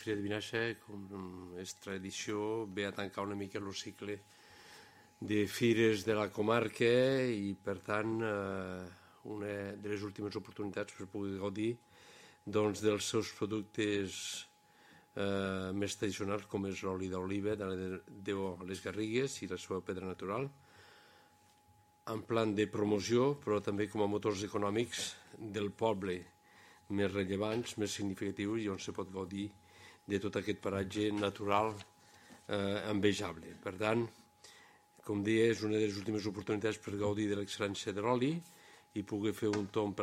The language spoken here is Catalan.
Fira de Vinaixa, com és tradició, ve a tancar una mica el cicle de fires de la comarca i, per tant, una de les últimes oportunitats per poder gaudir dels seus productes més tradicionals, com és l'oli d'oliva de les Garrigues i la seva pedra natural, en plan de promoció, però també com a motors econòmics del poble més rellevants, més significatius, i on se pot gaudir de tot aquest paratge natural envejable. Per tant, com deia, és una de les últimes oportunitats per gaudir de l'excel·lència de l'oli i poder fer un tomb per